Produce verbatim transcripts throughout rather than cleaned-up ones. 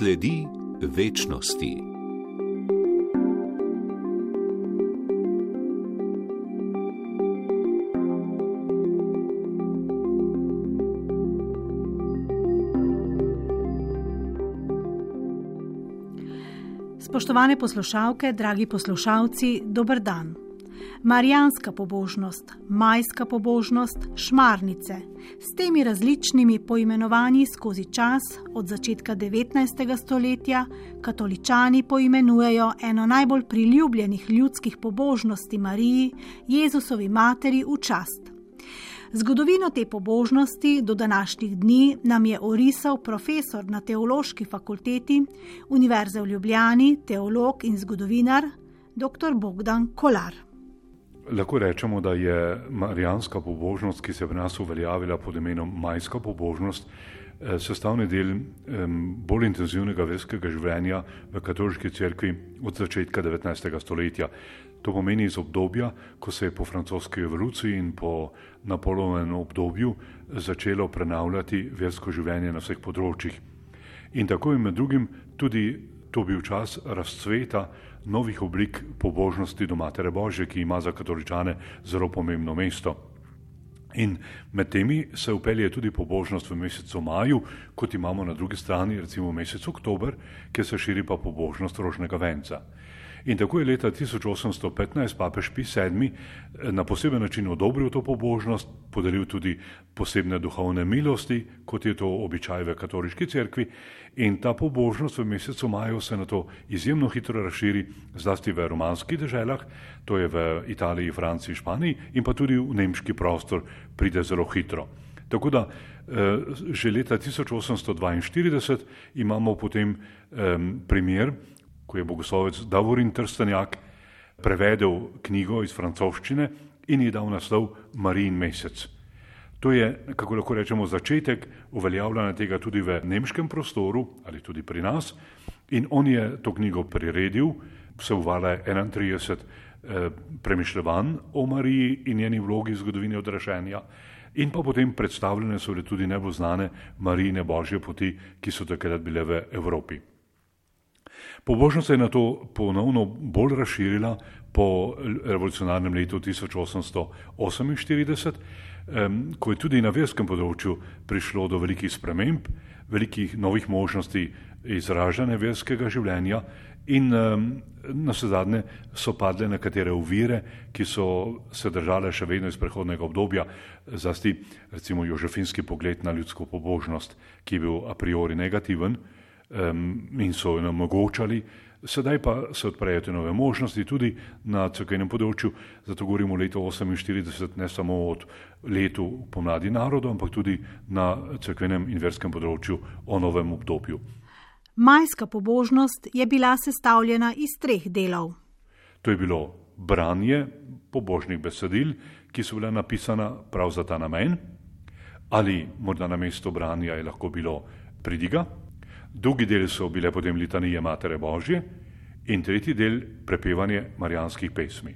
Sledi večnosti. Spoštovane poslušalke, dragi poslušalci, dober dan. Marijanska pobožnost, majska pobožnost, šmarnice. S temi različnimi poimenovanji skozi čas od začetka devetnajstega stoletja katoličani poimenujejo eno najbolj priljubljenih ljudskih pobožnosti Mariji, Jezusovi materi, v čast. Zgodovino te pobožnosti do današnjih dni nam je orisal profesor na Teološki fakulteti Univerze v Ljubljani, teolog in zgodovinar dr. Bogdan Kolar. Lahko rečemo, da je marijanska pobožnost, ki se je v nas uveljavila pod imenom majska pobožnost, sestavni del bolj intenzivnega verskega življenja v katoliški cerkvi od začetka devetnajstega stoletja. To pomeni iz obdobja, ko se je po francoski revoluciji in po Napoleonovem obdobju začelo prenavljati versko življenje na vseh področjih. In tako je med drugim tudi to bil čas razcveta novih oblik pobožnosti do Matere Božje, ki ima za katoličane zelo pomembno mesto. In med temi se vpelje tudi pobožnost v mesecu maju, kot imamo na drugi strani recimo v mesecu oktober, kjer se širi pa pobožnost rožnega venca. In tako je leta tisoč osemsto petnajst papež Pij sedmi na poseben način odobril to pobožnost, podaril tudi posebne duhovne milosti, kot je to običaj v katoliški cerkvi, in ta pobožnost v mesecu maju se na to izjemno hitro razširi, zlasti v romanskih deželah, to je v Italiji, Franciji, Španiji, in pa tudi v nemški prostor pride zelo hitro. Tako da že leta tisoč osemsto dvainštirideset imamo potem primer, ko je bogoslovec Davorin Trstenjak prevedel knjigo iz francoščine in ji dal naslov Marijin mesec. To je, kako lahko rečemo, začetek uveljavljanja tega tudi v nemškem prostoru ali tudi pri nas, in on je to knjigo priredil, vsebovala je enaintrideset eh, premišljevanj o Mariji in njeni vlogi v zgodovini odraščenja, in pa potem predstavljene so bile tudi najbolj znane Marijine Božje poti, ki so takrat bile v Evropi. Pobožnost se je na to ponovno bolj razširila po revolucionarnem letu tisoč osemsto oseminštirideset, ko je tudi na verskem področju prišlo do velikih sprememb, velikih novih možnosti izražanja verskega življenja in navsezadnje so padle nekatere ovire, ki so se držale še vedno iz prehodnega obdobja, zlasti recimo jožefinski pogled na ljudsko pobožnost, ki je bil a priori negativen, in so jo omogočali. Sedaj pa se odprejo te nove možnosti tudi na cerkvenem področju, zato govorimo o letu oseminštirideset ne samo od letu pomladi narodov, ampak tudi na cerkvenem in verskem področju o novem obdobju. Majska pobožnost je bila sestavljena iz treh delov. To je bilo branje pobožnih besedil, ki so bila napisana prav za ta namen, ali morda na mesto branja je lahko bilo pridiga. Drugi del so bile potem litanije Matere Božje in tretji del prepevanje marijanskih pesmi.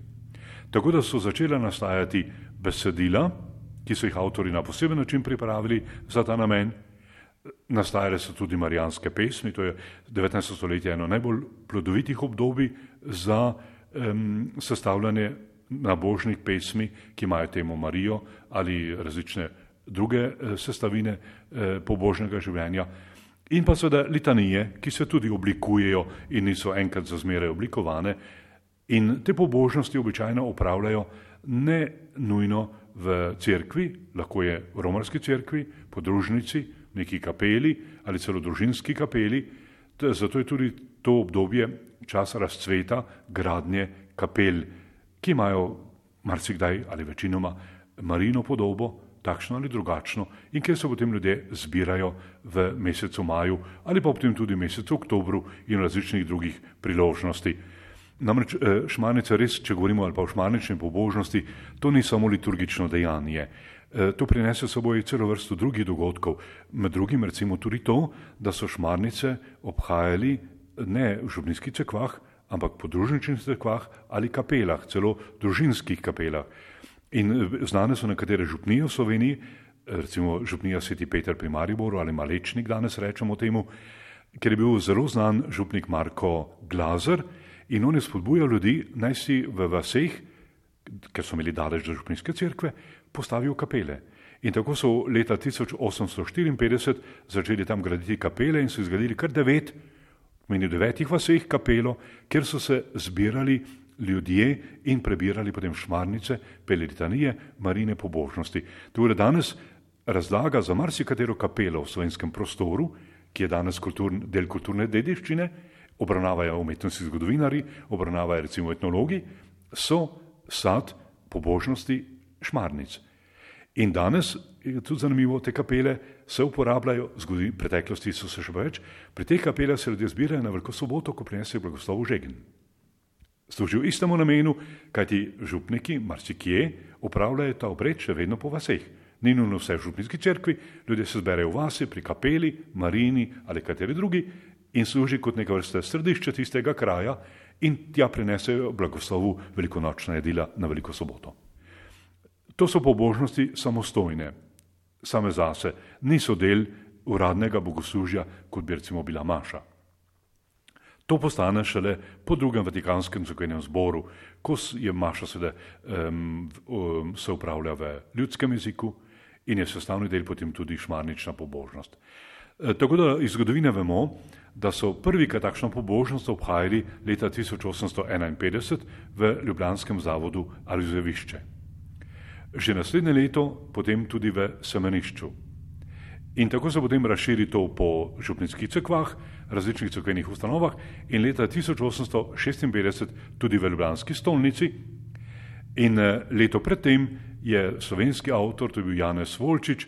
Tako da so začela nastajati besedila, ki so jih avtori na poseben način pripravili za ta namen. Nastajale so tudi marijanske pesmi, to je devetnajsto stoletje eno najbolj plodovitih obdobij za um, sestavljanje nabožnih pesmi, ki imajo temo Marijo ali različne druge uh, sestavine uh, pobožnega življenja. In pa seveda litanije, ki se tudi oblikujejo in niso enkrat za zmeraj oblikovane. In te pobožnosti običajno opravljajo ne nujno v cerkvi, lahko je v romarski cerkvi, podružnici, neki kapeli ali celo družinski kapeli. Zato je tudi to obdobje čas razcveta gradnje kapel, ki imajo marsikdaj ali večinoma Marijino podobo, takšno ali drugačno, in kjer se potem ljudje zbirajo v mesecu maju ali pa potem tudi v mesecu oktobru in različnih drugih priložnosti. Namreč šmarnica res, če govorimo ali pa o šmarnični pobožnosti, to ni samo liturgično dejanje. To prinese s seboj celo vrsto drugih dogodkov, med drugim recimo tudi to, da so šmarnice obhajali ne v župnijskih cerkvah, ampak podružničnih cerkvah ali kapelah, celo družinskih kapelah. In znane so nekatere župnije v Sloveniji, recimo župnija Sveti Peter pri Mariboru ali Malečnik, danes rečemo temu, ker je bil zelo znan župnik Marko Glazer in on je spodbujal ljudi, naj si v vaseh, ker so imeli daleč do župnijske cerkve, postavijo kapele. In tako so leta tisoč osemsto štiriinpetdeset začeli tam graditi kapele in so izgradili kar devet, meni v devetih vaseh kapelo, kjer so se zbirali ljudje in prebirali potem šmarnice, peli litanije, Marijine pobožnosti. To je danes razlaga za marsikatero kapelo v slovenskem prostoru, ki je danes kulturn, del kulturne dediščine, obravnavajo umetnostni zgodovinari, obravnavajo recimo etnologi, so sad pobožnosti šmarnic. In danes, je tudi zanimivo, te kapele se uporabljajo, v preteklosti so se še več, pri teh kapelah se ljudje zbirajo na Veliko soboto, ko prinesejo blagoslovu žegen. Služijo istemu namenu, kajti župniki marsikje upravljajo ta obred še vedno po vaseh. Ni nujno vse v župnijski cerkvi, ljudje se zberejo v vasi, pri kapeli, Marijini ali kateri drugi in služi kot neka vrsta središče tistega kraja in tja prinesejo blagoslovu velikonočna jedila na Veliko soboto. To so pobožnosti samostojne, same zase, niso del uradnega bogoslužja, kot bi recimo bila maša. To postane šele po drugem Vatikanskem cerkvenem zboru, ko je maša seveda um, um, se upravlja v ljudskem jeziku in je sestavni del potem tudi šmarnična pobožnost. E, tako da iz zgodovine vemo, da so prvi takšno pobožnost obhajali leta tisoč osemsto enainpetdeset v ljubljanskem zavodu Alojzevišče. Že naslednje leto potem tudi v Semenišču. In tako se potem razširi to po župnijskih cerkvah, različnih cerkvenih ustanovah in leta tisoč osemsto šestinpetdeset tudi v ljubljanski stolnici. In leto predtem je slovenski avtor, to je bil Janez Volčič,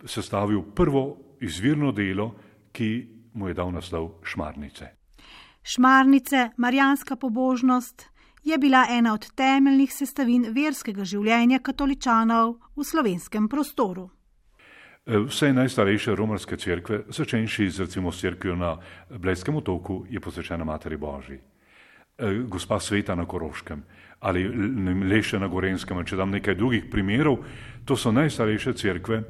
sestavil prvo izvirno delo, ki mu je dal naslov Šmarnice. Šmarnice, marijanska pobožnost, je bila ena od temeljnih sestavin verskega življenja katoličanov v slovenskem prostoru. Vse najstarejše romarske cerkve, začenši z recimo cerkvijo na Blejskem otoku, je posvečena Materi Božji. Gospa Sveta na Koroškem ali Leše na Gorenskem, če dam nekaj drugih primerov, to so najstarejše cerkve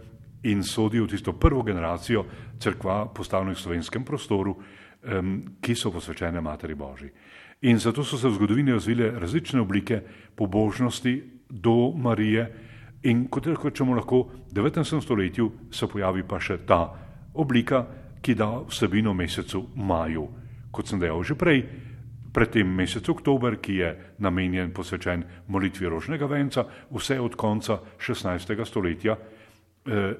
in sodijo v tisto prvo generacijo cerkva postavljenih v slovenskem prostoru, ki so posvečene Materi Božji. In zato so se v zgodovini razvile različne oblike pobožnosti do Marije in kot rečemo lahko v devetnajstem stoletju se pojavi pa še ta oblika, ki da vsebino mesecu maju. Kot sem dejal že prej, predtem mesec oktober, ki je namenjen, posvečen molitvi rožnega venca, vse od konca šestnajstega stoletja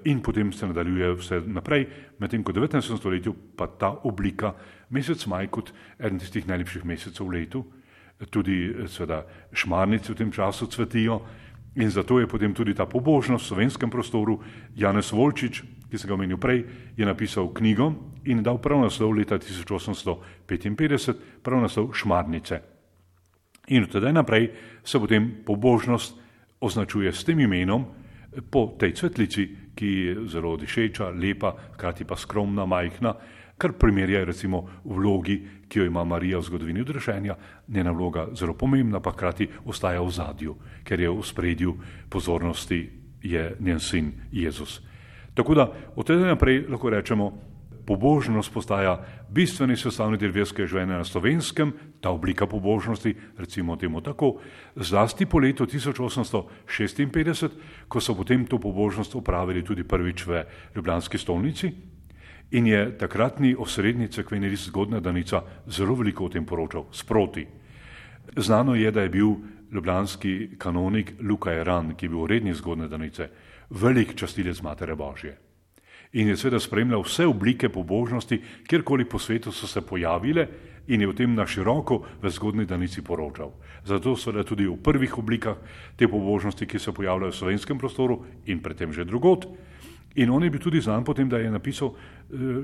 in potem se nadaljuje vse naprej, medtem ko v devetnajstem stoletju pa ta oblika mesec maj kot eden tistih najlepših mesecev v letu, tudi seveda šmarnice v tem času cvetijo in zato je potem tudi ta pobožnost v slovenskem prostoru. Janez Volčič, ki sem ga omenil prej, je napisal knjigo in dal prav naslov leta tisoč osemsto petinpetdeset, prav naslov Šmarnice. In od tedaj naprej se potem pobožnost označuje s tem imenom po tej cvetlici, ki je zelo dišeča, lepa, hkrati pa skromna, majhna, kar primerja recimo vlogi, ki jo ima Marija v zgodovini odrešenja, njena vloga zelo pomembna, pa hkrati ostaja v zadju, ker je v spredju pozornosti je njen sin Jezus. Tako da od tega naprej lahko rečemo, pobožnost postaja bistveni sestavni del verskega življenja na Slovenskem, ta oblika pobožnosti, recimo temu tako, zlasti po letu tisoč osemsto šestinpetdeset, ko so potem to pobožnost opravili tudi prvič v ljubljanski stolnici in je takratni osrednji cerkveni list Zgodnja Danica zelo veliko o tem poročal, sproti. Znano je, da je bil ljubljanski kanonik Luka Eran, ki je bil urednik Zgodnje Danice, velik častilec Matere Božje. In je seveda spremljal vse oblike pobožnosti, kjerkoli po svetu so se pojavile in je v tem na široko v Zgodnji Danici poročal. Zato seveda tudi v prvih oblikah te pobožnosti, ki se pojavljajo v slovenskem prostoru in predtem že drugod. In on je bil tudi znan potem, da je napisal,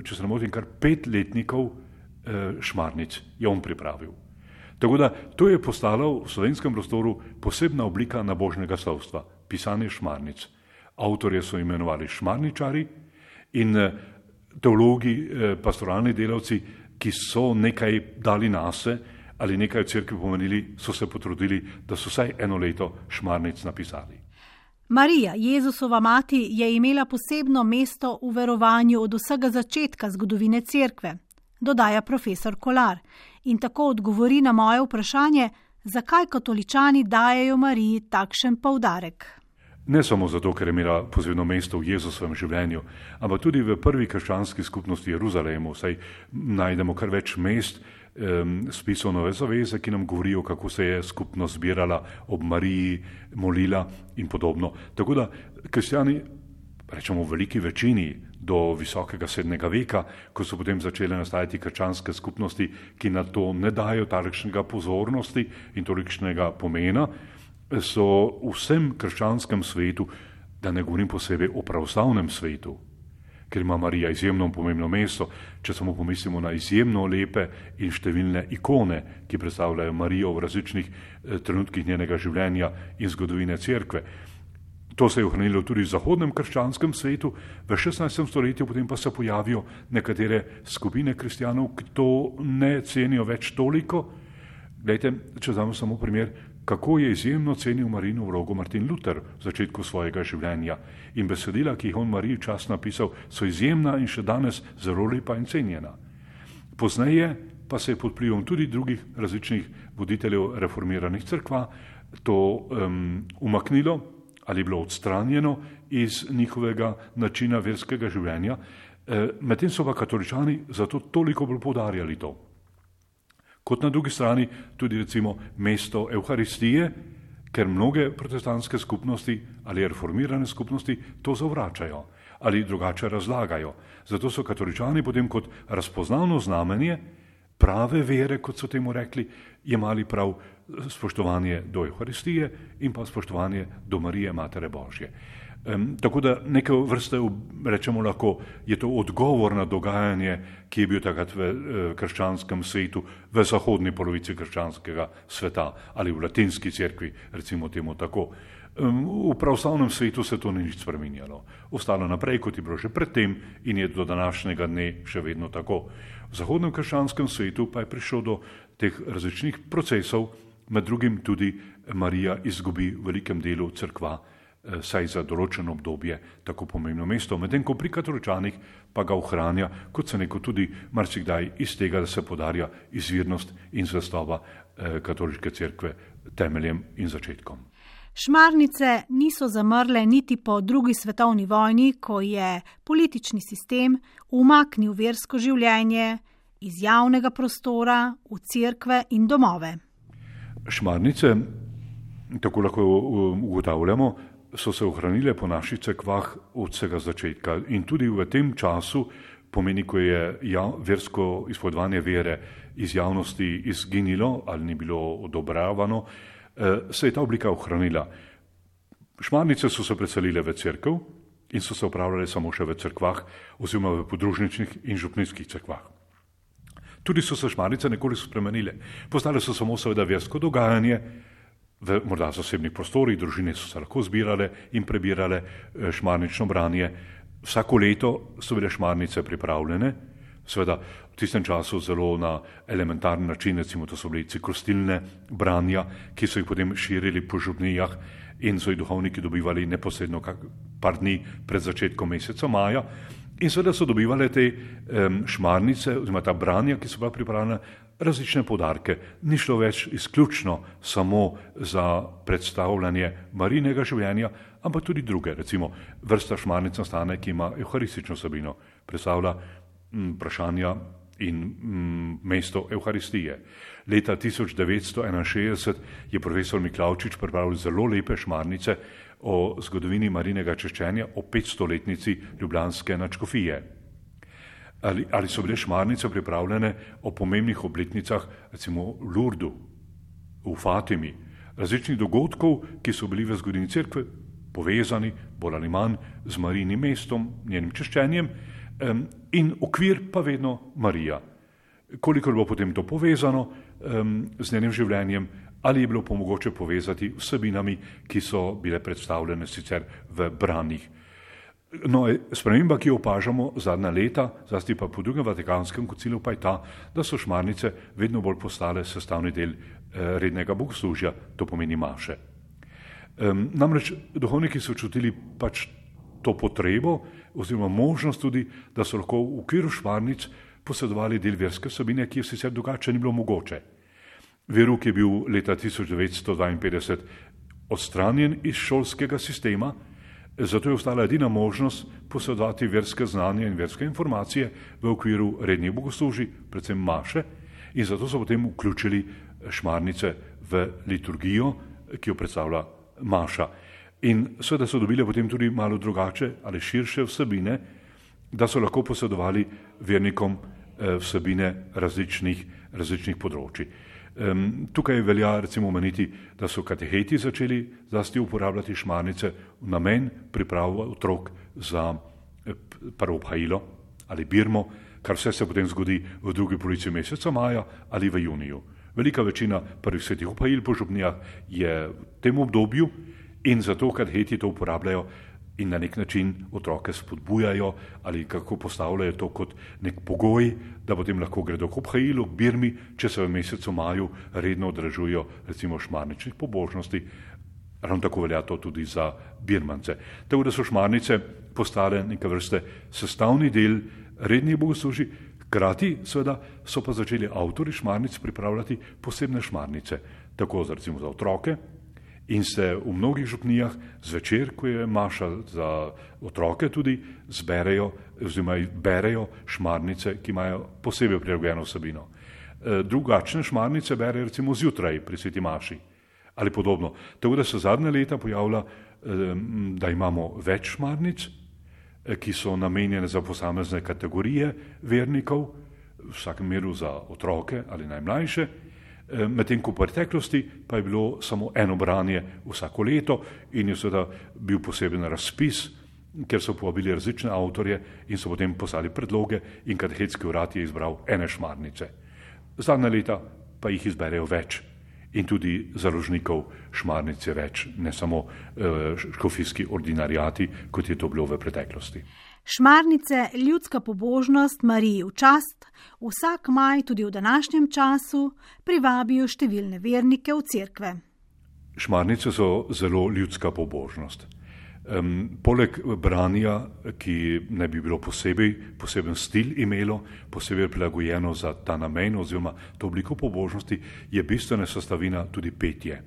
če se ne motim, kar pet letnikov šmarnic je on pripravil. Tako da to je postalo v slovenskem prostoru posebna oblika nabožnega slovstva, pisanje šmarnic. Avtorje so imenovali šmarničari in teologi, pastoralni delavci, ki so nekaj dali nase ali nekaj v cerkvi pomenili, so se potrudili, da so vsaj eno leto šmarnic napisali. Marija, Jezusova mati, je imela posebno mesto v verovanju od vsega začetka zgodovine cerkve. dodaja profesor Kolar in tako odgovori na moje vprašanje, zakaj katoličani dajejo Mariji takšen poudarek. Ne samo zato, ker je imela posebno mesto v Jezusovem življenju, ampak tudi v prvi krščanski skupnosti Jeruzalemu, saj najdemo kar več mest um, spisov Nove zaveze, ki nam govorijo, kako se je skupnost zbirala ob Mariji, molila in podobno. Tako da kristjani, rečemo v veliki večini, do visokega sedmega veka, ko so potem začele nastajati krščanske skupnosti, ki na to ne dajo tolikšnega pozornosti in tolikšnega pomena, so v vsem krščanskem svetu, da ne govorim posebej o pravoslavnem svetu, ker ima Marija izjemno pomembno mesto, če samo pomislimo na izjemno lepe in številne ikone, ki predstavljajo Marijo v različnih trenutkih njenega življenja in zgodovine cerkve. To se je ohranilo tudi v zahodnem krščanskem svetu, v šestnajstem stoletju potem pa se pojavijo nekatere skupine kristjanov, ki to ne cenijo več toliko. Glejte, če damo samo primer, kako je izjemno cenil Marijino vlogo Martin Luther v začetku svojega življenja in besedila, ki jih on Mariji čas napisal, so izjemna in še danes zelo lepa in cenjena. Pozneje pa se je pod vplivom tudi drugih različnih voditeljev reformiranih cerkva to um, umaknilo ali bilo odstranjeno iz njihovega načina verskega življenja, e, medtem so pa katoličani zato toliko bolj poudarjali to. Kot na drugi strani tudi recimo mesto Evharistije, ker mnoge protestantske skupnosti ali reformirane skupnosti to zavračajo ali drugače razlagajo. Zato so katoličani potem kot razpoznavno znamenje prave vere, kot so temu rekli, jemali prav spoštovanje do Evharistije in pa spoštovanje do Marije, Matere Božje. Um, tako da neke vrste, rečemo lahko, je to odgovor na dogajanje, ki je bil takrat v uh, krščanskem svetu, v zahodni polovici krščanskega sveta ali v latinski cerkvi, recimo temu tako. Um, v pravoslavnem svetu se to ni nič spreminjalo. Ostalo naprej, kot je bilo že predtem in je do današnjega dne še vedno tako. V zahodnem krščanskem svetu pa je prišlo do teh različnih procesov, med drugim tudi Marija izgubi v velikem delu cerkva, saj za določeno obdobje tako pomembno mesto, medtem ko pri katoličanih pa ga ohranja, kot se neko tudi marsikdaj iz tega, da se podarja izvirnost in zvestoba eh, katoliške cerkve temeljem in začetkom. Šmarnice niso zamrle niti po drugi svetovni vojni, ko je politični sistem umaknil versko življenje iz javnega prostora v cerkve in domove. Šmarnice, tako lahko ugotavljamo, so se ohranile po naših cerkvah od vsega začetka in tudi v tem času, pomeni, ko je ja, versko izpovedovanje vere iz javnosti izginilo ali ni bilo odobravano, se je ta oblika ohranila. Šmarnice so se preselile v cerkev in so se upravljale samo še v cerkvah oziroma v podružničnih in župnijskih cerkvah. Tudi so se šmarnice nekoliko spremenile. Postale so samo seveda versko dogajanje, v morda zasebnih prostorih, družine so se lahko zbirale in prebirale šmarnično branje. Vsako leto so bile šmarnice pripravljene, seveda v tistem času zelo na elementarni način, recimo to so bili ciklostilne branja, ki so jih potem širili po župnijah in so jih duhovniki dobivali neposredno par dni pred začetkom meseca maja. In seveda so dobivali te um, šmarnice, oziroma ta branja, ki so bila pripravljena, različne poudarke. Ni šlo več izključno samo za predstavljanje Marijinega življenja, ampak tudi druge. Recimo vrsta šmarnic nastane, ki ima evharistično vsebino, predstavlja m, vprašanja in m, mesto Evharistije. Leta tisoč devetsto enainšestdeset je profesor Miklavčič pripravil zelo lepe šmarnice o zgodovini Marijinega češčenja, o petstoletnici ljubljanske nadškofije. Ali, ali so bile šmarnice pripravljene o pomembnih obletnicah, recimo v Lurdu, v Fatimi, različnih dogodkov, ki so bili v zgodovini cerkve povezani, bolj ali manj, z Marijinim mestom, njenim češčenjem, um, in okvir pa vedno Marija. Koliko je bilo potem to povezano um, z njenim življenjem, ali je bilo pa mogoče povezati vsebinami, ki so bile predstavljene sicer v branjih. No, sprememba, ki jo opažamo zadnja leta, zlasti pa po drugem Vatikanskem koncilu, pa je ta, da so šmarnice vedno bolj postale sestavni del eh, rednega bogoslužja, to pomeni maše. Um, namreč duhovniki so čutili pač to potrebo oziroma možnost tudi, da so lahko v okviru šmarnic posedovali del verske vsebine, ki je sicer drugače ni bilo mogoče. Verouk je bil leta tisoč devetsto dvainpetdeset odstranjen iz šolskega sistema, zato je ostala edina možnost posedovati verske znanje in verske informacije v okviru rednih bogoslužij, predvsem maše, in zato so potem vključili šmarnice v liturgijo, ki jo predstavlja maša. In seveda so dobile potem tudi malo drugače ali širše vsebine, da so lahko posedovali vernikom vsebine različnih, različnih področji. Tukaj velja recimo omeniti, da so kateheti začeli zlasti uporabljati šmarnice v namen priprave otrok za prvo obhajilo ali birmo, kar vse se potem zgodi v drugi polovici meseca maja ali v juniju. Velika večina prvih svetih obhajil po župnijah je v tem obdobju in zato kateheti to uporabljajo in na nek način otroke spodbujajo ali kako postavljajo to kot nek pogoj, da potem lahko gredo k obhajilu, k birmi, če se v mesecu maju redno odražujo recimo šmarničnih pobožnosti. Ravno tako velja to tudi za birmance. Tako da so šmarnice postale neke vrste sestavni del rednih bogoslužij, hkrati seveda so pa začeli avtorji šmarnic pripravljati posebne šmarnice, tako za, recimo za otroke, in se v mnogih župnijah zvečer, ko je maša za otroke, tudi zberejo oziroma berejo šmarnice, ki imajo posebej prilagojeno vsebino. Drugačne šmarnice berejo recimo zjutraj pri sveti maši ali podobno. Tako da se zadnje leta pojavlja, da imamo več šmarnic, ki so namenjene za posamezne kategorije vernikov, v vsakem meru za otroke ali najmlajše, medtem ko v preteklosti pa je bilo samo eno branje vsako leto in je seveda bil poseben razpis, ker so povabili različne avtorje in so potem poslali predloge in katehetski urad je izbral ene šmarnice. Zadnja leta pa jih izberejo več in tudi založnikov šmarnic je več, ne samo uh, škofijski ordinariati, kot je to bilo v preteklosti. Šmarnice, ljudska pobožnost Mariji v čast, vsak maj tudi v današnjem času privabijo številne vernike v cerkve. Šmarnice so zelo ljudska pobožnost. Um, poleg branja, ki ne bi bilo posebej, poseben stil imelo, posebej prilagojeno za ta namen oziroma to obliko pobožnosti, je bistvena sestavina tudi petje.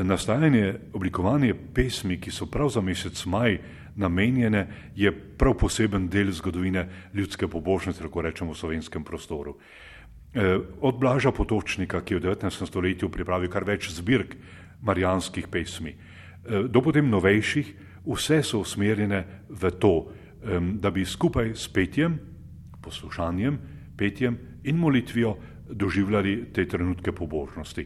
Nastajanje, oblikovanje pesmi, ki so prav za mesec maj namenjene, je prav poseben del zgodovine ljudske pobožnosti, tako rečemo v slovenskem prostoru. Od Blaža Potočnika, ki je v devetnajstem stoletju pripravil kar več zbirk marijanskih pesmi, do potem novejših, vse so usmerjene v to, da bi skupaj s petjem, poslušanjem, petjem in molitvijo doživljali te trenutke pobožnosti.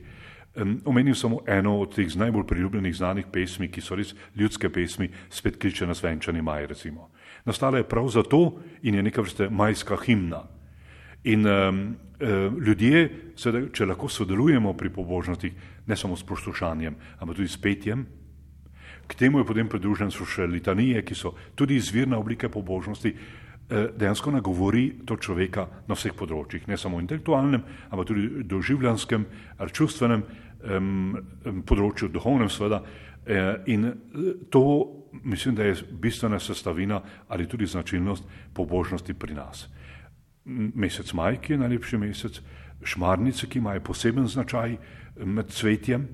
Omenim samo eno od teh najbolj priljubljenih znanih pesmi, ki so res ljudske pesmi, Spet kliče nas venčani maj, recimo. Nastala je prav zato in je neka vrste majska himna. In um, ljudje, seveda, če lahko sodelujemo pri pobožnostih, ne samo s poslušanjem, ampak tudi s petjem, k temu je potem pridružen so še litanije, ki so tudi izvirna oblike pobožnosti, dejansko nagovori to človeka na vseh področjih, ne samo intelektualnem, ampak tudi doživljanskem, čustvenem um, področju, duhovnem seveda. In to mislim, da je bistvena sestavina ali tudi značilnost pobožnosti pri nas. Mesec maj, ki je najlepši mesec, šmarnice, ki imajo poseben značaj med cvetjem,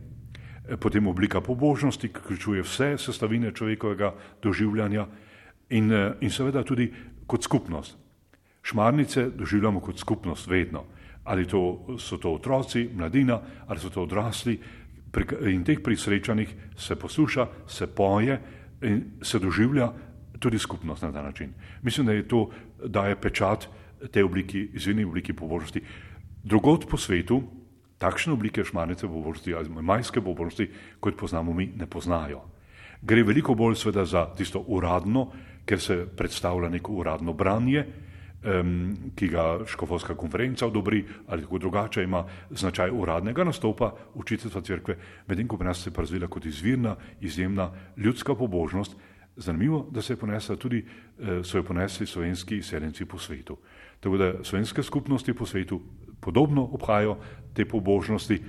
potem oblika pobožnosti, ki vključuje vse sestavine človekovega doživljanja in, in seveda tudi kot skupnost. Šmarnice doživljamo kot skupnost vedno. Ali to, so to otroci, mladina, ali so to odrasli. In teh pri srečanjih se posluša, se poje in se doživlja tudi skupnost na ta način. Mislim, da je to daje pečat te obliki, izvirni obliki pobožnosti. Drugod po svetu takšne oblike šmarnice pobožnosti ali majske pobožnosti, kot poznamo mi, ne poznajo. Gre veliko bolj sveda za tisto uradno, ker se predstavlja neko uradno branje, um, ki ga škofovska konferenca odobri ali tako drugače ima značaj uradnega nastopa učiteljstva cerkve, medtem ko pri nas se je razvila kot izvirna, izjemna ljudska pobožnost. Zanimivo, da se je ponesla tudi, so jo ponesli slovenski izseljenci po svetu. Tako da slovenske skupnosti po svetu podobno obhajajo te pobožnosti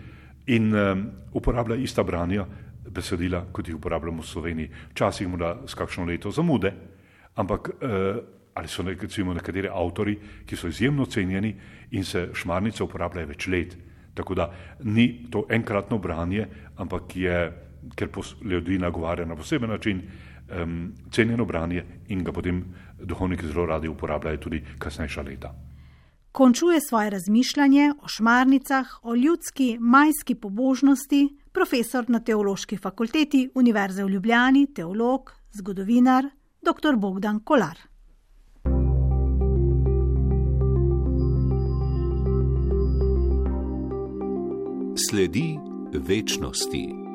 in um, uporablja ista branja besedila, kot jih uporabljamo v Sloveniji. Včasih morda s kakšno leto zamude, ampak uh, ali so recimo nekateri avtori, ki so izjemno cenjeni in se šmarnice uporabljajo več let. Tako da ni to enkratno branje, ampak je, ker ljudi nagovarja na poseben način, um, cenjeno branje in ga potem duhovniki zelo radi uporabljajo tudi kasnejša leta. Končuje svoje razmišljanje o šmarnicah, o ljudski majski pobožnosti, profesor na Teološki fakulteti Univerze v Ljubljani, teolog, zgodovinar, dr. Bogdan Kolar. Sledi večnosti.